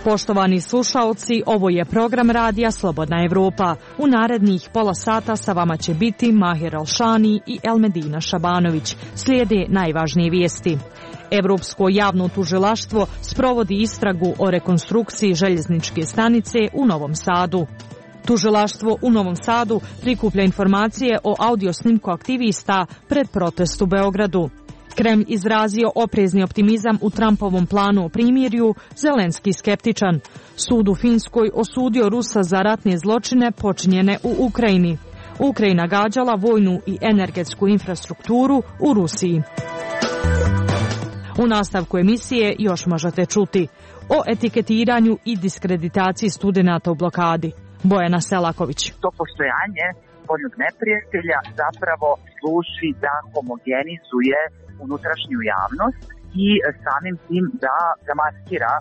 Poštovani slušaoci, ovo je program radija Slobodna Evropa. U narednih pola sata sa vama će biti Mahir Alšani i Elmedina Šabanović. Slijede najvažnije vijesti. Evropsko javno tužilaštvo sprovodi istragu o rekonstrukciji željezničke stanice u Novom Sadu. Tužilaštvo u Novom Sadu prikuplja informacije o audiosnimku aktivista pred protest u Beogradu. Kremlj izrazio oprezni optimizam u Trumpovom planu o primirju, Zelenski skeptičan. Sud u Finskoj osudio Rusa za ratne zločine počinjene u Ukrajini. Ukrajina gađala vojnu i energetsku infrastrukturu u Rusiji. U nastavku emisije još možete čuti o etiketiranju i diskreditaciji studenata u blokadi. Bojana Selaković. To postojanje spoljnog neprijatelja zapravo služi da homogenizuje unutrašnju javnost i samim tim da zamaskira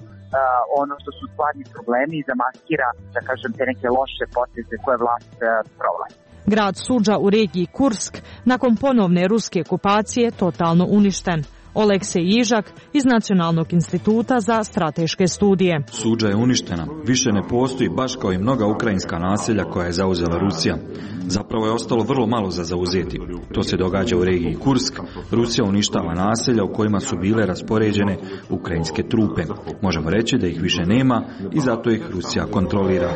ono što su stvarni problemi i zamaskira, da kažem, te neke loše poteze koje vlast provlači. Grad Suđa u regiji Kursk nakon ponovne ruske okupacije totalno uništen. Oleksej Jižak iz Nacionalnog instituta za strateške studije. Suđa je uništena. Više ne postoji baš kao i mnoga ukrajinska naselja koja je zauzela Rusija. Zapravo je ostalo vrlo malo za zauzeti. To se događa u regiji Kursk. Rusija uništava naselja u kojima su bile raspoređene ukrajinske trupe. Možemo reći da ih više nema i zato ih Rusija kontrolira.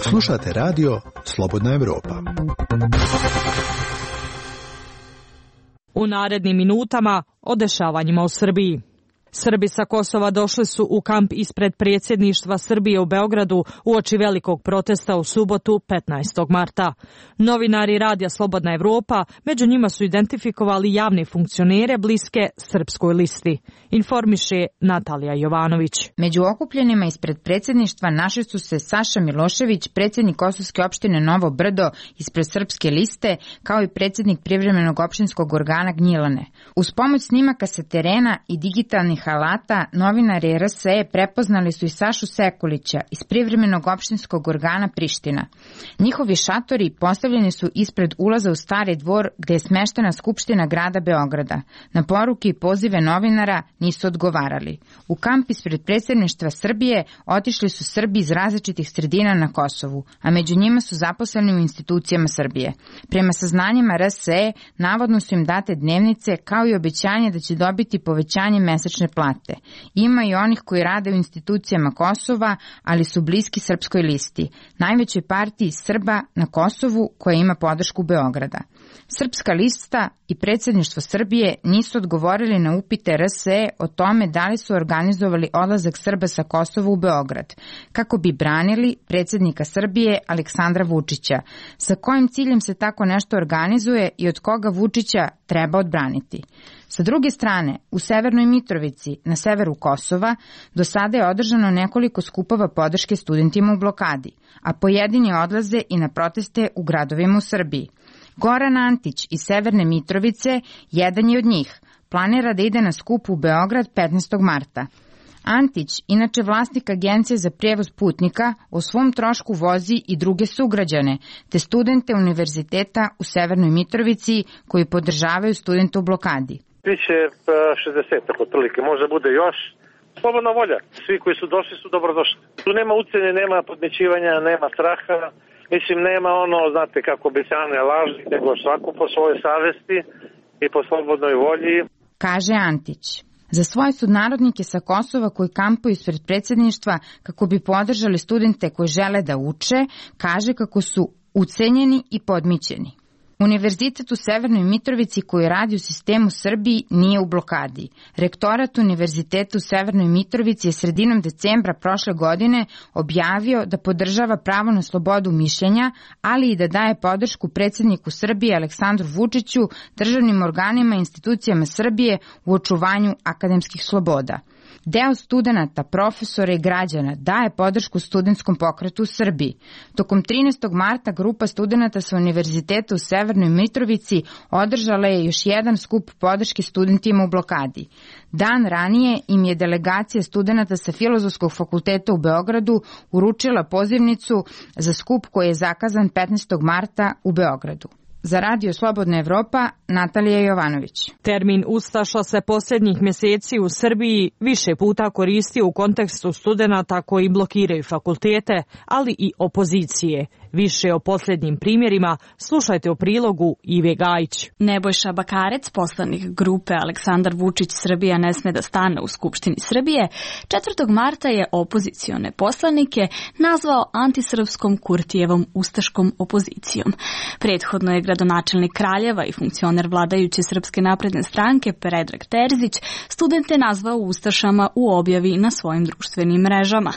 Slušate radio Slobodna Evropa. U narednim minutama o dešavanjima u Srbiji. Srbi sa Kosova došli su u kamp ispred predsjedništva Srbije u Beogradu uoči velikog protesta u subotu 15. marta. Novinari radija Slobodna Evropa među njima su identifikovali javne funkcionere bliske Srpskoj listi. Informiše Natalija Jovanović. Među okupljenima ispred predsjedništva našli su se Saša Milošević, predsjednik Kosovske opštine Novo Brdo ispred Srpske liste, kao i predsjednik privremenog opštinskog organa Gnjilane. Uz pomoć snimaka sa terena i digitalnih alata, novinari RSE prepoznali su i Sašu Sekulića iz privremenog opštinskog organa Priština. Njihovi šatori postavljeni su ispred ulaza u Stari dvor gde je smeštena Skupština grada Beograda. Na poruke i pozive novinara nisu odgovarali. U kamp ispred predsjedništva Srbije otišli su Srbi iz različitih sredina na Kosovu, a među njima su zaposleni u institucijama Srbije. Prema saznanjima RSE, navodno su im date dnevnice kao i obećanje da će dobiti povećanje mesečne plate. Ima i onih koji rade u institucijama Kosova, ali su bliski Srpskoj listi, najvećoj partiji Srba na Kosovu koja ima podršku Beograda. Srpska lista i predsjedništvo Srbije nisu odgovorili na upite RSE o tome da li su organizovali odlazak Srba sa Kosova u Beograd, kako bi branili predsjednika Srbije Aleksandra Vučića. Sa kojim ciljem se tako nešto organizuje i od koga Vučića treba odbraniti? Sa druge strane, u Severnoj Mitrovici, na severu Kosova, do sada je održano nekoliko skupova podrške studentima u blokadi, a pojedini odlaze i na proteste u gradovima u Srbiji. Goran Antić iz Severne Mitrovice jedan je od njih. Planira da ide na skup u Beograd 15. marta. Antić, inače vlasnik agencije za prijevoz putnika, o svom trošku vozi i druge sugrađane, te studente univerziteta u Severnoj Mitrovici koji podržavaju studente u blokadi. Biće 60, otprilike, možda bude još. Slobodna volja. Svi koji su došli su dobrodošli. Tu nema ucjene, nema podmećivanja, nema straha. Mislim, nema ono, znate, kako obećane laži, nego svako po svojoj savesti i po slobodnoj volji. Kaže Antić. Za svoje sunarodnike sa Kosova koji kampuju ispred predsjedništva kako bi podržali studente koji žele da uče, kaže kako su ucenjeni i podmićeni. Univerzitet u Severnoj Mitrovici koji radi u sistemu Srbiji nije u blokadi. Rektorat Univerziteta u Severnoj Mitrovici je sredinom decembra prošle godine objavio da podržava pravo na slobodu mišljenja, ali i da daje podršku predsjedniku Srbije Aleksandru Vučiću, državnim organima i institucijama Srbije u očuvanju akademskih sloboda. Deo studenata, profesora i građana daje podršku studentskom pokretu u Srbiji. Tokom 13. marta grupa studenata sa Univerziteta u Severnoj Mitrovici održala je još jedan skup podrške studentima u blokadi. Dan ranije im je delegacija studenata sa Filozofskog fakulteta u Beogradu uručila pozivnicu za skup koji je zakazan 15. marta u Beogradu. Za Radio Slobodna Evropa, Natalija Jovanović. Termin ustaša se posljednjih mjeseci u Srbiji više puta koristio u kontekstu studenata koji blokiraju fakultete, ali i opozicije. Više o posljednjim primjerima slušajte u prilogu Ive Gajić. Nebojša Bakarec, poslanik grupe Aleksandar Vučić Srbija ne sme da stane u Skupštini Srbije, 4. marta je opozicione poslanike nazvao antisrpskom Kurtijevom ustaškom opozicijom. Prethodno je gradonačelnik Kraljeva i funkcioner vladajuće Srpske napredne stranke Predrag Terzić studente nazvao ustašama u objavi na svojim društvenim mrežama.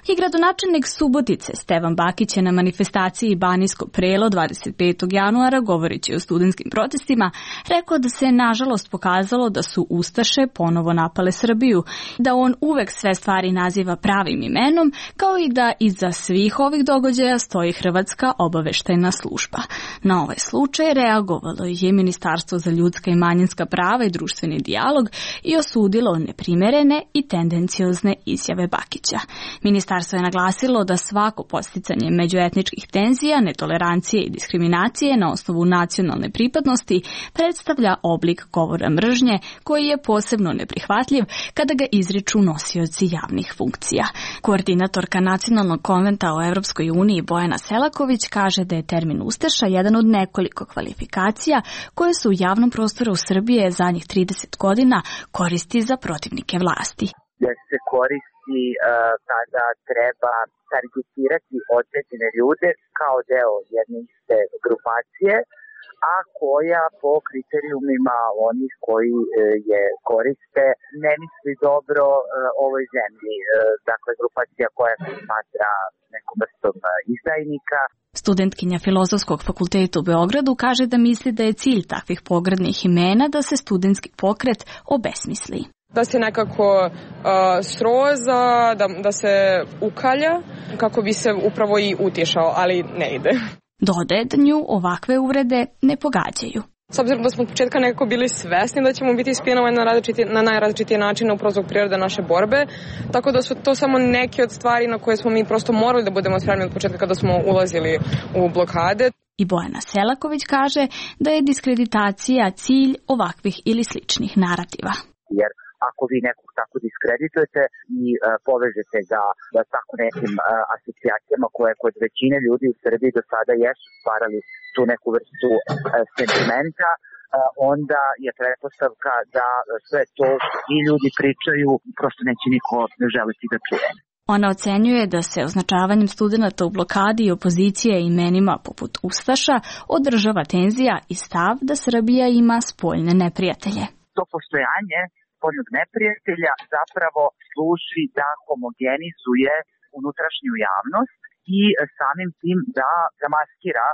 I gradonačelnik Subotice Stevan Bakić je na manifestaciji Banijsko Prelo 25. januara, govoreći o studentskim protestima, rekao da se nažalost pokazalo da su ustaše ponovo napale Srbiju, da on uvek sve stvari naziva pravim imenom, kao i da iza svih ovih događaja stoji Hrvatska obaveštajna služba. Na ovaj slučaj reagovalo je Ministarstvo za ljudska i manjinska prava i društveni dijalog i osudilo neprimerene i tendenciozne izjave Bakića. Ministarstvo je naglasilo da svako podsticanje međuetničkih tenzija, netolerancije i diskriminacije na osnovu nacionalne pripadnosti predstavlja oblik govora mržnje koji je posebno neprihvatljiv kada ga izriču nosioci javnih funkcija. Koordinatorka Nacionalnog konventa o Evropskoj uniji Bojana Selaković kaže da je termin ustaša jedan od nekoliko kvalifikacija koje su u javnom prostoru Srbije zadnjih 30 godina koristi za protivnike vlasti. Da se koristi kada treba targetirati određene ljude kao deo jedne iste grupacije, a koja po kriterijumima onih koji je koriste ne misli dobro ovoj zemlji. Dakle, grupacija koja se smatra nekom vrstom izdajnika. Studentkinja Filozofskog fakulteta u Beogradu kaže da misli da je cilj takvih pogrdnih imena da se studentski pokret obesmisli. Da se nekako sroza, da se ukalja kako bi se upravo i utišao, ali ne ide. Dodaje da nju ovakve uvrede ne pogađaju. S obzirom da smo od početka nekako bili svesni da ćemo biti ispinovani na najrazličitije načine upravo zbog prirode naše borbe, tako da su to samo neke od stvari na koje smo mi prosto morali da budemo spremni od početka kada smo ulazili u blokade. I Bojana Selaković kaže da je diskreditacija cilj ovakvih ili sličnih narativa. Jer ako vi nekog tako diskreditujete i povežete ga tako nekim asocijacijama koje kod većine ljudi u Srbiji do sada jesu stvarali tu neku vrstu sentimenta, onda je pretpostavka da sve to što i ljudi pričaju prosto neće niko želiti da čuje. Ona ocenjuje da se označavanjem studenata u blokadi i opozicije imenima poput ustaša održava tenzija i stav da Srbija ima spoljne neprijatelje. To postojanje spoljnog neprijatelja zapravo služi da homogenizuje unutrašnju javnost i samim tim da zamaskira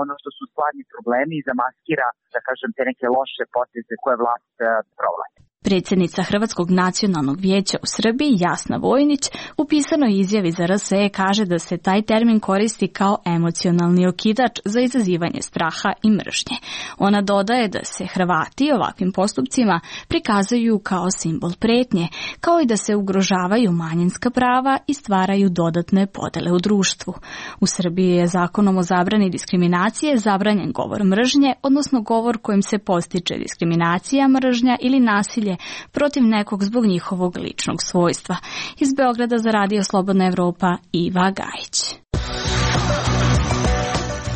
ono što su stvarni problemi i zamaskira, da kažem, te neke loše poteze koje vlast provlači. Predsjednica Hrvatskog nacionalnog vijeća u Srbiji, Jasna Vojnić, u pisanoj izjavi za RSE kaže da se taj termin koristi kao emocionalni okidač za izazivanje straha i mržnje. Ona dodaje da se Hrvati ovakvim postupcima prikazuju kao simbol pretnje, kao i da se ugrožavaju manjinska prava i stvaraju dodatne podele u društvu. U Srbiji je zakonom o zabrani diskriminacije zabranjen govor mržnje, odnosno govor kojim se postiče diskriminacija, mržnja ili nasilje protiv nekog zbog njihovog ličnog svojstva. Iz Beograda za Radio Slobodna Evropa, Iva Gajić.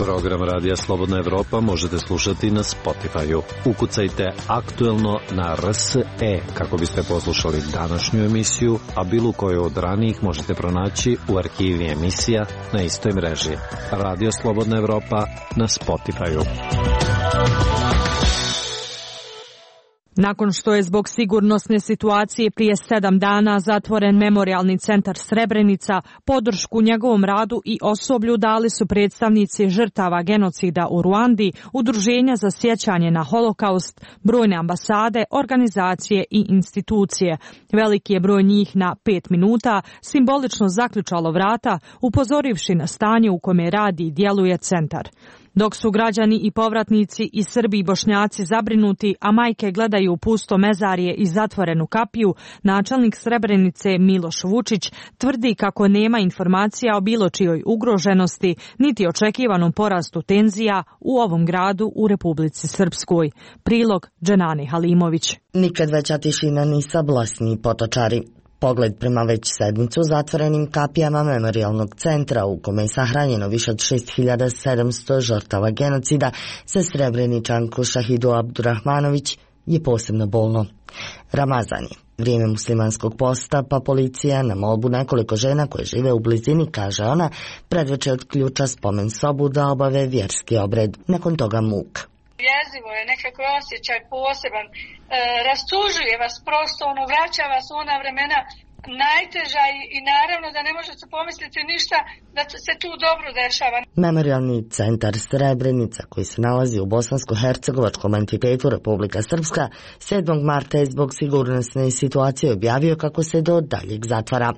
Program Radija Slobodna Evropa možete slušati na Spotify-u. Ukucajte aktuelno na RSE kako biste poslušali današnju emisiju, a bilo koju od ranijih možete pronaći u arhivi emisija na istoj mreži. Radio Slobodna Evropa na Spotify-u. Nakon što je zbog sigurnosne situacije prije 7 dana zatvoren Memorijalni centar Srebrenica, podršku njegovom radu i osoblju dali su predstavnici žrtava genocida u Ruandi, udruženja za sjećanje na holokaust, brojne ambasade, organizacije i institucije. Veliki je broj njih na 5 minuta simbolično zaključalo vrata, upozorivši na stanje u kome radi i djeluje centar. Dok su građani i povratnici i Srbi i Bošnjaci zabrinuti, a majke gledaju pusto mezarje i zatvorenu kapiju, načelnik Srebrenice Miloš Vučić tvrdi kako nema informacija o bilo čijoj ugroženosti, niti očekivanom porastu tenzija u ovom gradu u Republici Srpskoj. Prilog Dženane Halimović. Nikad veća tišina ni sablasni potočari. Pogled prema već sedmicu zatvorenim kapijama memorijalnog centra u kome je sahranjeno više od 6700 žrtava genocida za Srebreničanku Šahidu Abdurahmanović je posebno bolno. Ramazan je vrijeme muslimanskog posta, pa policija na molbu nekoliko žena koje žive u blizini, kaže ona, predveče otključa spomen sobu da obave vjerski obred. Nakon toga muk. Jezivo je, nekako osjećaj poseban, rastužuje vas prosto, vraća vas u ona vremena najteža i naravno da ne možete pomisliti ništa da se tu dobro dešava. Memorijalni centar Srebrenica, koji se nalazi u bosansko-hercegovačkom entitetu Republika Srpska, 7. marta je zbog sigurnosne situacije objavio kako se do daljeg zatvara.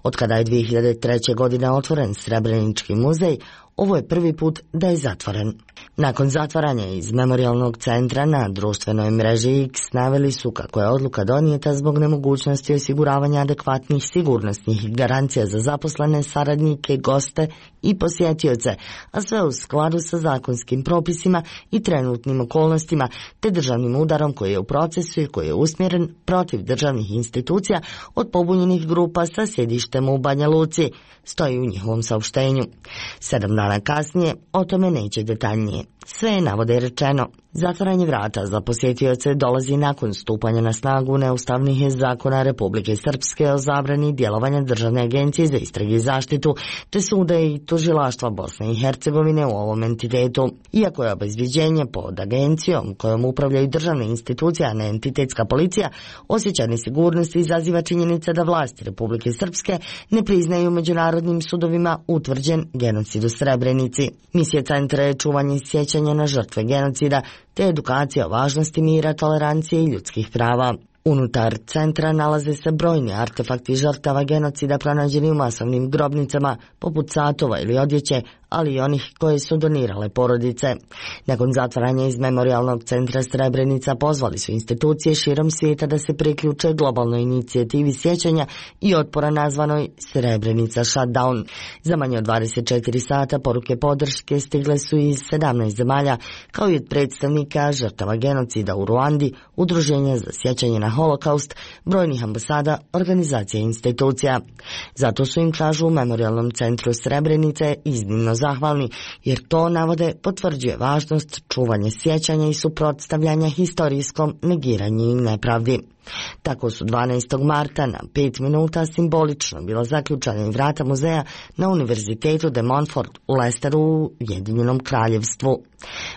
Otkada je 2003. godine otvoren Srebrenički muzej, ovo je prvi put da je zatvoren. Nakon zatvaranja iz memorijalnog centra na društvenoj mreži X naveli su kako je odluka donijeta zbog nemogućnosti osiguravanja adekvatnih sigurnosnih garancija za zaposlene, saradnike, goste i posjetioce, a sve u skladu sa zakonskim propisima i trenutnim okolnostima, te državnim udarom koji je u procesu i koji je usmjeren protiv državnih institucija od pobunjenih grupa sa sjedištem u Banja Luci, stoji u njihovom saopštenju. 7 dana kasnije o tome neće detaljnije. Sve je, navode, rečeno. Zatvaranje vrata za posjetioce dolazi nakon stupanja na snagu neustavnih zakona Republike Srpske o zabrani djelovanja Državne agencije za istrage i zaštitu, te suda i tužilaštva Bosne i Hercegovine u ovom entitetu. Iako je obezbjeđenje pod agencijom kojom upravljaju državne institucije, a ne entitetska policija, osjećaj nesigurnosti izaziva činjenica da vlasti Republike Srpske ne priznaju međunarodnim sudovima utvrđen genocid u Srebrenici. Misija centra je čuvanje sjećanja na žrtve genocida, te edukacija o važnosti mira, tolerancije i ljudskih prava. Unutar centra nalaze se brojni artefakti žrtava genocida pronađeni u masovnim grobnicama, poput satova ili odjeće, ali i onih koje su donirale porodice. Nakon zatvaranja iz memorijalnog centra Srebrenica pozvali su institucije širom svijeta da se priključe globalnoj inicijativi sjećanja i otpora nazvanoj Srebrenica Shutdown. Za manje od 24 sata poruke podrške stigle su iz 17 zemalja, kao i od predstavnika žrtava genocida u Ruandi, Udruženja za sjećanje na holokaust, brojnih ambasada, organizacija i institucija. Zato su im, kažu, u memorijalnom centru Srebrenice iznimno zahvalni, jer to, navode, potvrđuje važnost čuvanja sjećanja i suprotstavljanja historijskom negiranju i nepravdi. Tako su 12. marta na 5 minuta simbolično bila zaključana i vrata muzeja na Univerzitetu de Montfort u Leicesteru u Ujedinjenom Kraljevstvu.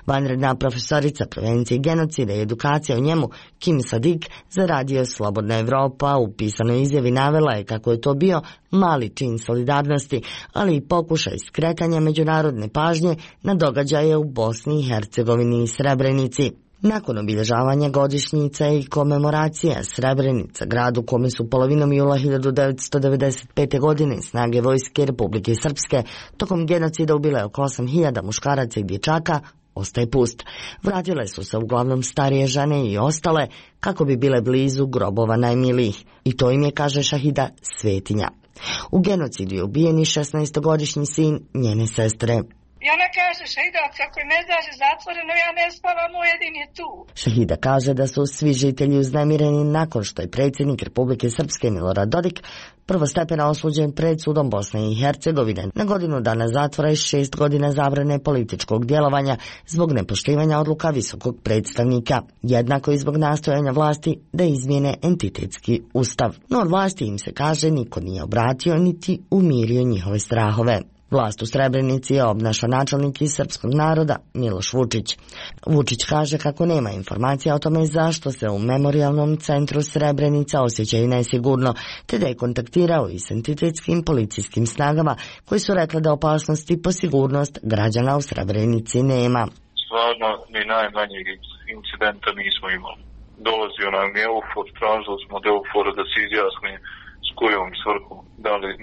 Vanredna profesorica prevencije genocida i edukacija o njemu, Kim Sadik, za radio Slobodna Evropa u pisanoj izjavi navela je kako je to bio mali čin solidarnosti, ali i pokušaj skretanja međunarodne pažnje na događaje u Bosni i Hercegovini i Srebrenici. Nakon obilježavanja godišnjica i komemoracija Srebrenica, gradu kome su polovinom jula 1995. godine snage vojske Republike Srpske tokom genocida ubile oko 8000 muškaraca i dječaka, ostaje pust. Vratile su se uglavnom starije žene i ostale kako bi bile blizu grobova najmilijih. I to im je, kaže Šahida, svetinja. U genocidu je ubijen i 16-godišnji sin njene sestre. I ona kaže, Šahida, kako je mezar zatvoreno, ja ne spavam, moj jedin je tu. Šahida kaže da su svi žitelji uznemireni nakon što je predsjednik Republike Srpske Milorad Dodik prvostepeno osuđen pred sudom Bosne i Hercegovine na godinu dana zatvora i 6 godina zabrane političkog djelovanja zbog nepoštivanja odluka visokog predstavnika, jednako i zbog nastojanja vlasti da izmijene entitetski ustav. No od vlasti, im se kaže, niko nije obratio niti umirio njihove strahove. Vlast u Srebrenici obnaša načelnik iz srpskog naroda Miloš Vučić. Vučić kaže kako nema informacija o tome zašto se u memorijalnom centru Srebrenica osjećaju nesigurno, te da je kontaktirao i s entitetskim policijskim snagama koji su rekli da opasnosti po sigurnost građana u Srebrenici nema. Stvarno ni najmanjeg incidenta nismo imali. Dolazio nam je EUFOR, tražili smo od EUFOR-a da se izjasni s kojom svrhom?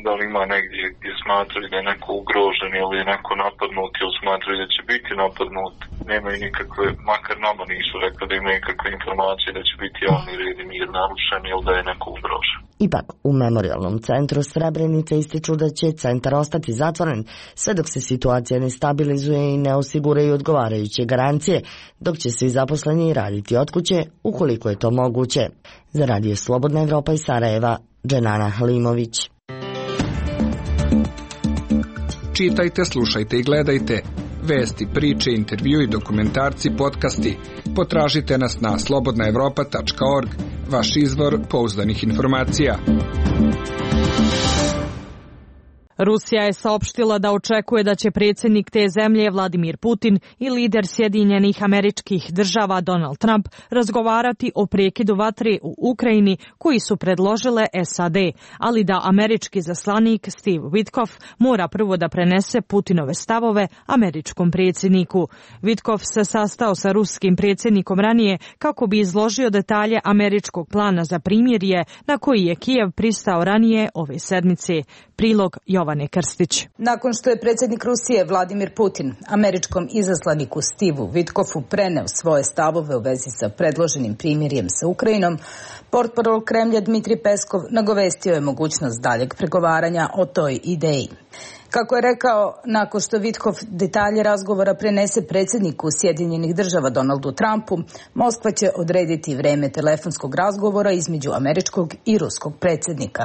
Da li ima negdje gdje smatraju da je neko ugrožen ili je neko napadnut ili smatraju da će biti napadnut? Nemaju nikakve, makar nama nisu rekli da imaju nikakve informacije da će biti javni red i mir narušen ili da je neko ugrožen. Ipak, u Memorijalnom centru Srebrenica ističu da će centar ostati zatvoren sve dok se situacija ne stabilizuje i ne osiguraju odgovarajuće garancije, dok će svi zaposleni raditi od kuće ukoliko je to moguće. Za Radio Slobodna Evropa iz Sarajeva, Dženana Halimović. Čitajte, slušajte i gledajte vesti, priče, intervju i dokumentarci, podcasti. Potražite nas na slobodnaevropa.org, vaš izvor pouzdanih informacija. Rusija je saopštila da očekuje da će predsjednik te zemlje Vladimir Putin i lider Sjedinjenih Američkih Država Donald Trump razgovarati o prekidu vatre u Ukrajini koji su predložile SAD, ali da američki zaslanik Steve Witkoff mora prvo da prenese Putinove stavove američkom predsjedniku. Witkoff se sastao sa ruskim predsjednikom ranije kako bi izložio detalje američkog plana za primirje na koji je Kijev pristao ranije ove sedmice. Prilog Jovane Krstić. Nakon što je predsjednik Rusije Vladimir Putin američkom izaslaniku Steveu Witkoffu preneo svoje stavove u vezi sa predloženim primirjem sa Ukrajinom, portparol Kremlja Dmitrij Peskov nagovestio je mogućnost daljeg pregovaranja o toj ideji. Kako je rekao, nakon što Witkoff detalje razgovora prenese predsjedniku Sjedinjenih Država Donaldu Trumpu, Moskva će odrediti vreme telefonskog razgovora između američkog i ruskog predsjednika.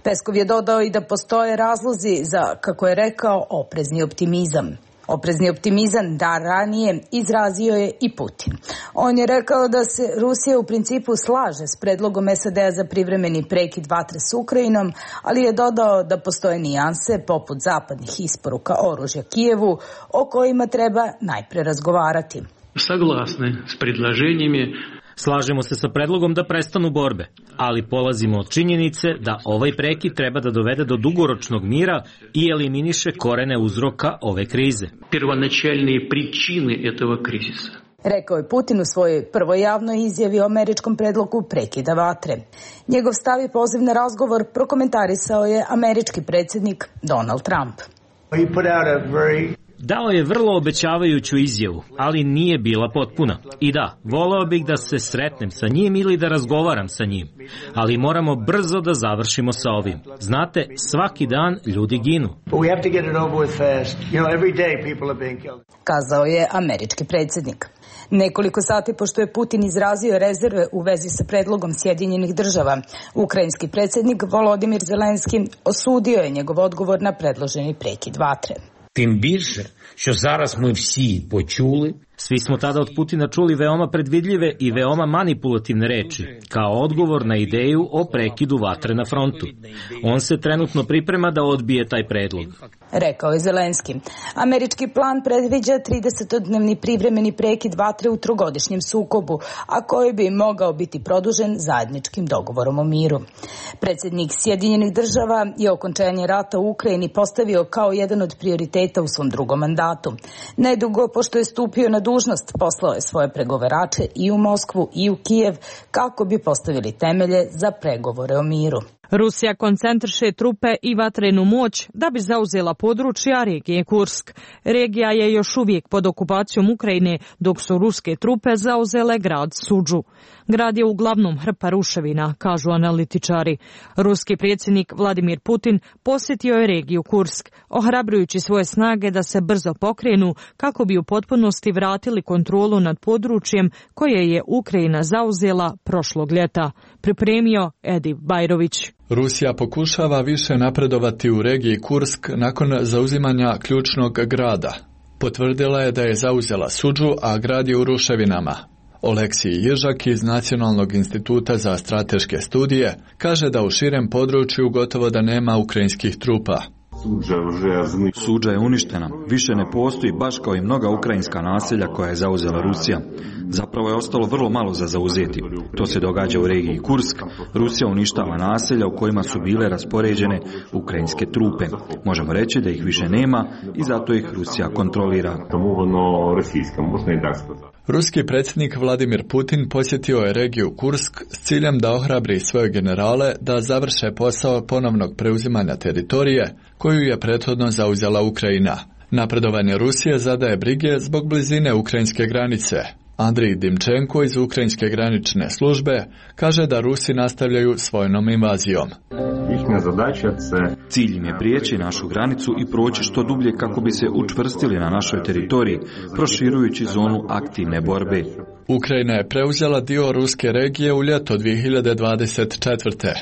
Peskov je dodao i da postoje razlozi za, kako je rekao, oprezni optimizam. Oprezni optimizam da ranije izrazio je i Putin. On je rekao da se Rusija u principu slaže s predlogom SAD-a za privremeni prekid vatre s Ukrajinom, ali je dodao da postoje nijanse poput zapadnih isporuka oružja Kijevu o kojima treba najpre razgovarati. Saglasni s predlaženjima. Slažemo se sa predlogom da prestanu borbe, ali polazimo od činjenice da ovaj prekid treba da dovede do dugoročnog mira i eliminiše korene uzroka ove krize. Prvonačelne pričine этого кризиса. Rekao je Putin u svojoj prvoj javnoj izjavi o američkom predlogu prekida vatre. Njegov stav i poziv na razgovor prokomentarisao je američki predsjednik Donald Trump. Dao je vrlo obećavajuću izjavu, ali nije bila potpuna. I da, voleo bih da se sretnem sa njim ili da razgovaram sa njim. Ali moramo brzo da završimo sa ovim. Znate, svaki dan ljudi ginu. Kazao je američki predsjednik. Nekoliko sati pošto je Putin izrazio rezerve u vezi sa predlogom Sjedinjenih Država, ukrajinski predsjednik Volodimir Zelenski osudio je njegov odgovor na predloženi prekid vatre. Тим більше, що зараз ми всі почули. Svi smo tada od Putina čuli veoma predvidljive i veoma manipulativne reči, kao odgovor na ideju o prekidu vatre na frontu. On se trenutno priprema da odbije taj predlog. Rekao je Zelenski. Američki plan predviđa 30-dnevni privremeni prekid vatre u trogodišnjem sukobu, a koji bi mogao biti produžen zajedničkim dogovorom o miru. Predsjednik Sjedinjenih Država je okončanje rata u Ukrajini postavio kao jedan od prioriteta u svom drugom mandatu. Nedugo pošto je stupio na dužnost, poslao je svoje pregovarače i u Moskvu i u Kijev kako bi postavili temelje za pregovore o miru. Rusija koncentriše trupe i vatrenu moć da bi zauzela područja regije Kursk. Regija je još uvijek pod okupacijom Ukrajine, dok su ruske trupe zauzele grad Sudžu. Grad je uglavnom hrpa ruševina, kažu analitičari. Ruski predsjednik Vladimir Putin posjetio je regiju Kursk, ohrabrujući svoje snage da se brzo pokrenu kako bi u potpunosti vratili kontrolu nad područjem koje je Ukrajina zauzela prošlog ljeta. Pripremio Edi Bajrović. Rusija pokušava više napredovati u regiji Kursk nakon zauzimanja ključnog grada. Potvrdila je da je zauzela Sudžu, a grad je u ruševinama. Oleksij Ježak iz Nacionalnog instituta za strateške studije kaže da u širem području gotovo da nema ukrajinskih trupa. Sudža je uništena, više ne postoji baš kao i mnoga ukrajinska naselja koja je zauzela Rusija. Zapravo je ostalo vrlo malo za zauzeti. To se događa u regiji Kursk. Rusija uništava naselja u kojima su bile raspoređene ukrajinske trupe. Možemo reći da ih više nema i zato ih Rusija kontrolira. Ruski predsjednik Vladimir Putin posjetio je regiju Kursk s ciljem da ohrabri svoje generale da završe posao ponovnog preuzimanja teritorije koju je prethodno zauzela Ukrajina. Napredovanje Rusije zadaje brige zbog blizine ukrajinske granice. Andrij Dimčenko iz ukrajinske granične službe kaže da Rusi nastavljaju s vojnom invazijom. Cilj im je prijeći našu granicu i proći što dublje kako bi se učvrstili na našoj teritoriji, proširujući zonu aktivne borbe. Ukrajina je preuzela dio ruske regije u ljeto 2024.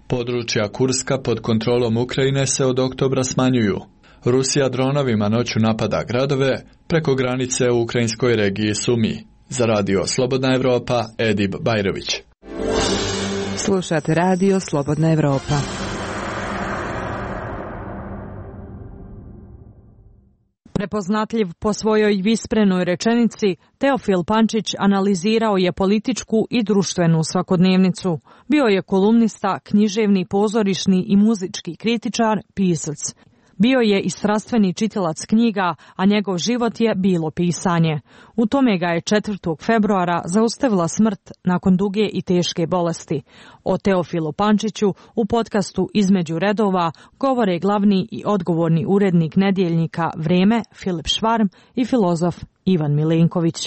Područja Kurska pod kontrolom Ukrajine se od oktobra smanjuju. Rusija dronovima noću napada gradove preko granice u ukrajinskoj regiji Sumi. Za radio Slobodna Evropa, Edib Bajrović. Slušate radio Slobodna Evropa. Prepoznatljiv po svojoj visprenoj rečenici, Teofil Pančić analizirao je političku i društvenu svakodnevnicu. Bio je kolumnista, književni, pozorišni i muzički kritičar, pisac. Bio je i strastveni čitilac knjiga, a njegov život je bilo pisanje. U tome ga je 4. februara zaustavila smrt nakon duge i teške bolesti. O Teofilu Pančiću u podcastu Između redova govore glavni i odgovorni urednik nedjeljnika Vreme Filip Švarm i filozof Ivan Milenković.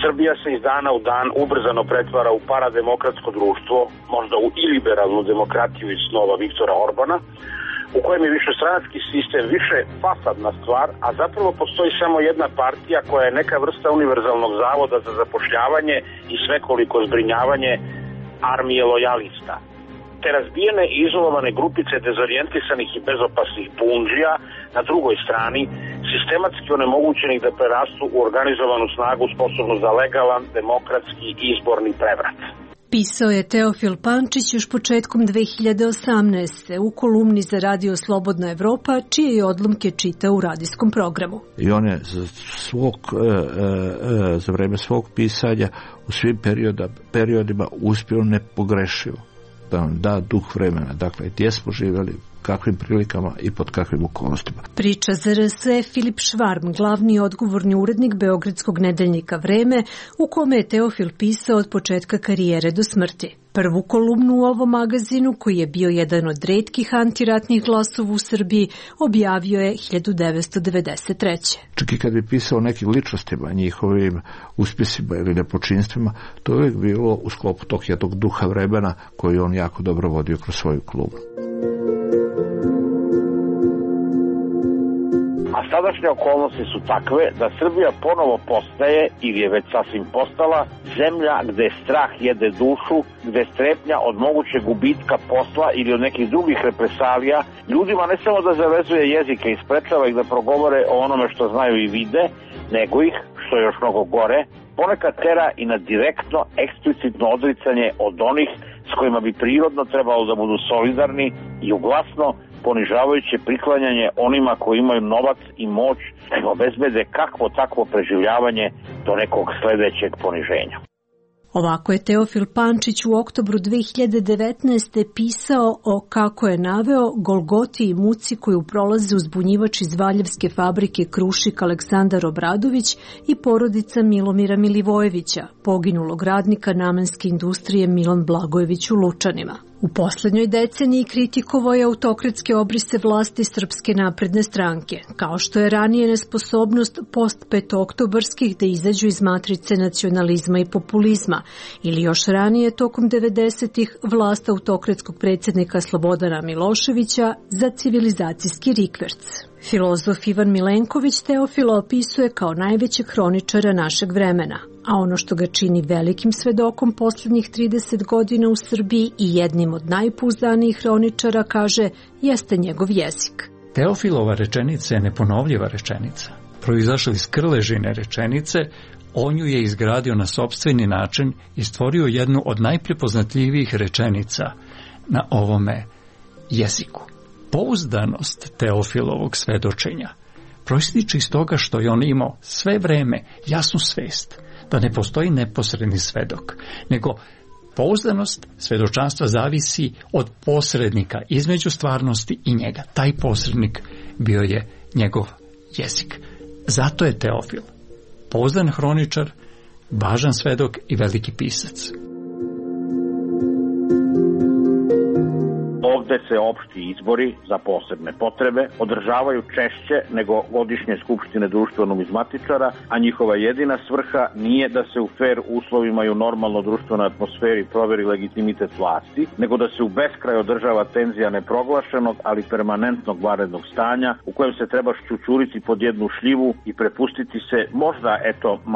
Srbija se iz dana u dan ubrzano pretvara u parademokratsko društvo, možda u iliberalnu demokratiju iz snova Viktora Orbana, u kojem je višestranački sistem više fasadna stvar, a zapravo postoji samo jedna partija koja je neka vrsta univerzalnog zavoda za zapošljavanje i svekoliko zbrinjavanje armije lojalista. Te razbijene i izolovane grupice dezorijentisanih i bezopasnih bundžija na drugoj strani, sistematski onemogućenih da prerastu u organizovanu snagu sposobnu za legalan, demokratski izborni prevrat. Pisao je Teofil Pančić još početkom 2018. u kolumni za radio Slobodna Evropa, čije je odlomke čitao u radijskom programu. I on je za vreme svog pisanja u svim periodima uspio nepogrešivo da nam da duh vremena. Dakle, gdje smo živjeli, kakvim prilikama i pod kakvim okolnostima. Priča za RSE Filip Švarm, glavni odgovorni urednik beogradskog nedeljnika Vreme, u kome je Teofil pisao od početka karijere do smrti. Prvu kolumnu u ovom magazinu, koji je bio jedan od retkih antiratnih glasova u Srbiji, objavio je 1993. Čak i kad bi pisao o nekim ličnostima, njihovim uspjesima ili nepočinstvima, to je uvijek bilo u sklopu tog jednog duha vremena koji on jako dobro vodio kroz svoju kolumnu. A sadašnje okolnosti su takve da Srbija ponovo postaje, ili je već sasvim postala, zemlja gde strah jede dušu, gde strepnja od mogućeg gubitka posla ili od nekih drugih represalija ljudima ne samo da zavezuje jezike i sprečava ih da progovore o onome što znaju i vide, nego ih, što je još mnogo gore, ponekad tera i na direktno, eksplicitno odricanje od onih s kojima bi prirodno trebalo da budu solidarni i uglasno ponižavajuće priklanjanje onima koji imaju novac i moć da im obezbede kakvo takvo preživljavanje do nekog sledećeg poniženja. Ovako je Teofil Pančić u oktobru 2019. pisao o, kako je naveo, golgoti i muci koju prolaze uzbunjivač iz Valjevske fabrike Krušik Aleksandar Obradović i porodica Milomira Milivojevića, poginulog radnika namenske industrije Milan Blagojević u Lučanima. U poslednjoj deceniji kritikovao je autokratske obrise vlasti Srpske napredne stranke, kao što je ranije nesposobnost post-petooktobarskih da izađu iz matrice nacionalizma i populizma, ili još ranije tokom 90-ih vlast autokratskog predsjednika Slobodana Miloševića za civilizacijski rikverc. Filozof Ivan Milenković Teofila opisuje kao najvećeg hroničara našeg vremena, a ono što ga čini velikim svedokom posljednjih 30 godina u Srbiji i jednim od najpouzdanijih hroničara, kaže, jeste njegov jezik. Teofilova rečenica je neponovljiva rečenica. Proizašla iz krležine rečenice, on ju je izgradio na sopstveni način i stvorio jednu od najprepoznatljivijih rečenica na ovome jeziku. Pouzdanost Teofilovog svedočenja proističe iz toga što je on imao sve vreme jasnu svest da ne postoji neposredni svedok, nego pouzdanost svedočanstva zavisi od posrednika između stvarnosti i njega. Taj posrednik bio je njegov jezik. Zato je Teofil pouzdan hroničar, važan svedok i veliki pisac. Ovde se opšti izbori za posebne potrebe održavaju češće nego godišnje skupštine društveno-numizmatičara, a njihova jedina svrha nije da se u fer uslovima i u normalno društvenoj atmosferi proveri legitimitet vlasti, nego da se u beskraj održava tenzija neproglašenog, ali permanentnog vanrednog stanja u kojem se treba šćučuriti pod jednu šljivu i prepustiti se možda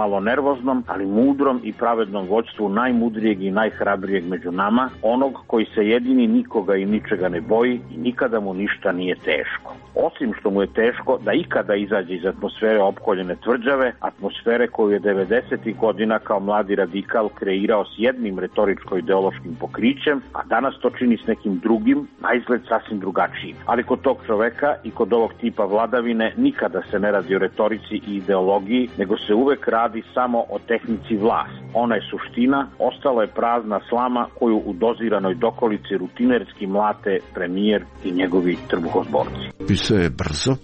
malo nervoznom, ali mudrom i pravednom vođstvu najmudrijeg i najhrabrijeg među nama, onog koji se jedini nikoga i ničega ne boji i nikada mu ništa nije teško. Osim što mu je teško da ikada izađe iz atmosfere opkoljene tvrđave, atmosfere koju je 90. godina kao mladi radikal kreirao s jednim retoričko-ideološkim pokrićem, a danas to čini s nekim drugim, na izgled sasvim drugačijim. Ali kod tog čoveka i kod ovog tipa vladavine nikada se ne radi o retorici i ideologiji, nego se uvek radi samo o tehnici vlasti. Ona je suština, ostala je prazna slama koju u doziranoj dokolici rutinerski mlate premijer i njegovi trbuhozborci. Pisao je brzo,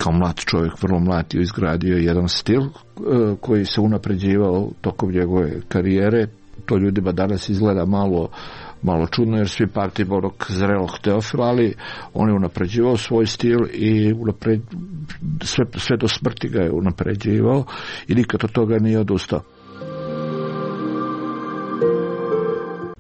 kao mlad čovjek, vrlo mlad, je izgradio jedan stil koji se unapređivao tokom njegove karijere. To ljudima danas izgleda malo čudno, jer svi pamti onog zrelog Teofila, ali on je unapređivao svoj stil i sve do smrti ga je unapređivao i nikad od toga nije odustao.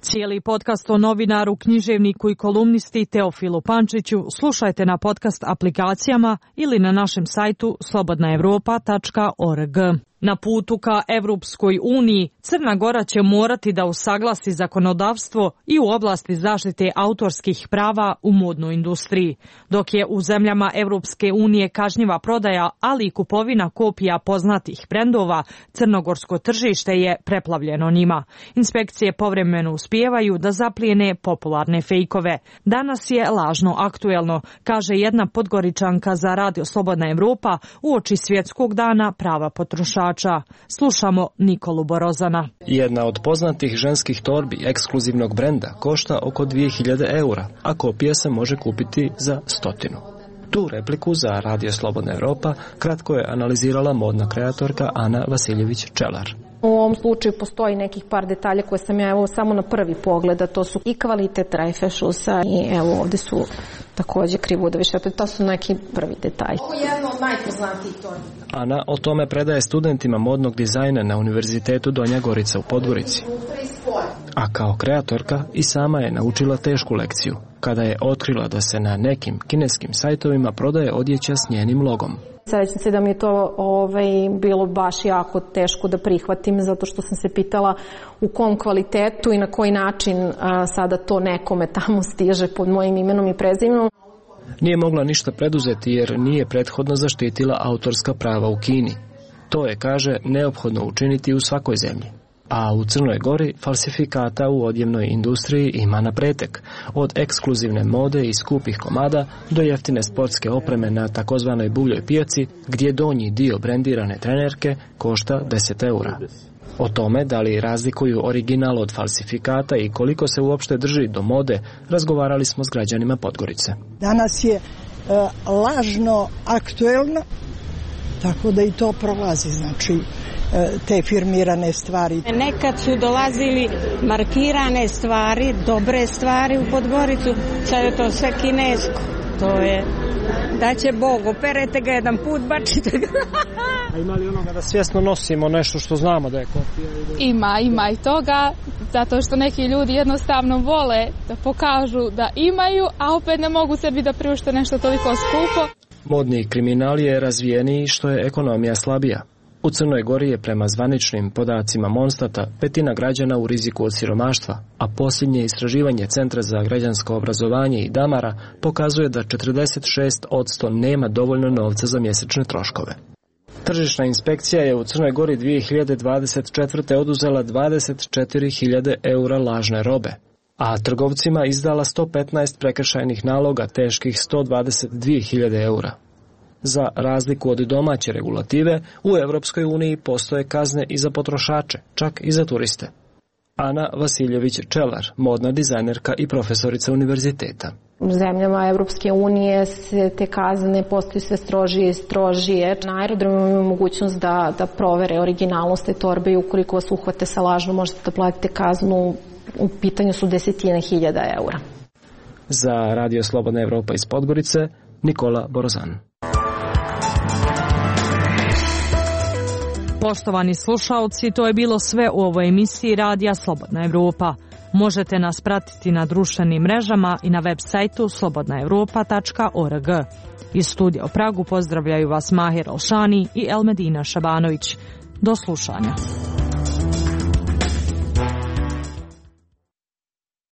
Cijeli podcast o novinaru, književniku i kolumnisti Teofilu Pančiću slušajte na podcast aplikacijama ili na našem sajtu slobodnaevropa.org. Na putu ka Evropskoj uniji, Crna Gora će morati da usaglasi zakonodavstvo i u oblasti zaštite autorskih prava u modnoj industriji. Dok je u zemljama Evropske unije kažnjiva prodaja, ali i kupovina kopija poznatih brendova, crnogorsko tržište je preplavljeno njima. Inspekcije povremeno uspijevaju da zaplijene popularne fejkove. Danas je lažno aktuelno, kaže jedna Podgoričanka za Radio Slobodna Evropa uoči Svjetskog dana prava potrošača. Slušamo Nikolu Borozana. Jedna od poznatih ženskih torbi ekskluzivnog brenda košta oko 2000 eura, a kopija se može kupiti za 100. Tu repliku za Radio Slobodna Evropa kratko je analizirala modna kreatorka Ana Vasiljević-Čelar. U ovom slučaju postoji nekih par detalja koje sam ja samo na prvi pogled, a to su i kvalitet rajfešusa i evo ovde su takođe krivudovi šepe, to su neki prvi detalji. Ovo je jedno od najpoznatijih torbi. Ana o tome predaje studentima modnog dizajna na Univerzitetu Donja Gorica u Podgorici. A kao kreatorka i sama je naučila tešku lekciju, kada je otkrila da se na nekim kineskim sajtovima prodaje odjeća s njenim logom. Srećam se da mi je to bilo baš jako teško da prihvatim, zato što sam se pitala u kom kvalitetu i na koji način sada to nekome tamo stiže pod mojim imenom i prezimenom. Nije mogla ništa preduzeti jer nije prethodno zaštitila autorska prava u Kini. To je, kaže, neophodno učiniti u svakoj zemlji. A u Crnoj Gori falsifikata u odjevnoj industriji ima na pretek, od ekskluzivne mode i skupih komada do jeftine sportske opreme na takozvanoj buvljoj pijaci, gdje donji dio brendirane trenerke košta 10 eura. O tome da li razlikuju original od falsifikata i koliko se uopšte drži do mode, razgovarali smo s građanima Podgorice. Danas je lažno aktuelno, tako da i to prolazi, znači te firmirane stvari. Nekad su dolazili markirane stvari, dobre stvari u Podgoricu, sad je to sve kinesko. To je, da će Bog, operete ga jedan put, bačite ga. A ima li onoga da svjesno nosimo nešto što znamo da je kopija? Ima i toga, zato što neki ljudi jednostavno vole da pokažu da imaju, a opet ne mogu sebi da priušte nešto toliko skupo. Modni kriminal je razvijeniji što je ekonomija slabija. U Crnoj Gori je prema zvaničnim podacima Monstata 1/5 građana u riziku od siromaštva, a posljednje istraživanje Centra za građansko obrazovanje i Damara pokazuje da 46% nema dovoljno novca za mjesečne troškove. Tržišna inspekcija je u Crnoj Gori 2024. oduzela 24.000 eura lažne robe, a trgovcima izdala 115 prekršajnih naloga teških 122.000 eura. Za razliku od domaće regulative, u Evropskoj uniji postoje kazne i za potrošače, čak i za turiste. Ana Vasiljević-Čelar, modna dizajnerka i profesorica univerziteta. U zemljama Evropske unije se te kazne postaju sve strožije i strožije. Na aerodromu imamo mogućnost da provere originalnost te torbe i ukoliko vas uhvate sa lažnom možete da platite kaznu. U pitanju su 10.000 eura. Za Radio Slobodna Evropa iz Podgorice, Nikola Borozan. Poštovani slušaoci, to je bilo sve u ovoj emisiji Radija Slobodna Evropa. Možete nas pratiti na društvenim mrežama i na web sajtu slobodnaevropa.org. Iz studija u Pragu pozdravljaju vas Mahir Alšani i Elmedina Šabanović. Do slušanja.